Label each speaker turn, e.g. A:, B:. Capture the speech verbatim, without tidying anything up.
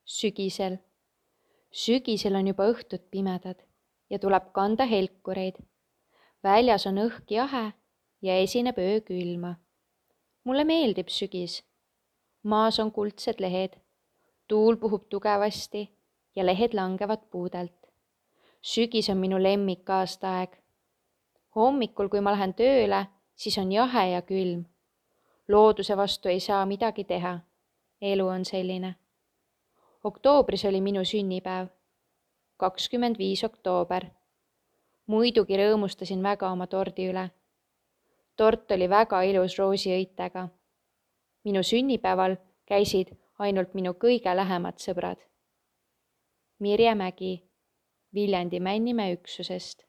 A: sügisel. Sügisel on juba õhtud pimedad ja tuleb kanda helkureid. Väljas on õhk jahe ja esineb öö külma. Mulle meeldib sügis. Maas on kuldsed lehed. Tuul puhub tugevasti ja lehed langevad puudelt. Sügis on minu lemmik aastaaeg. Hommikul, kui ma lähen tööle, siis on jahe ja külm. Looduse vastu ei saa midagi teha. Elu on selline. Oktoobris oli minu sünnipäev. kakskümmend viis oktoober. Muidugi rõõmustasin väga oma tordi üle. Tort oli väga ilus roosiõitega. Minu sünnipäeval käisid ainult minu kõige lähemad sõbrad. Mirje Mägi, Viljandi Männimäe üksusest.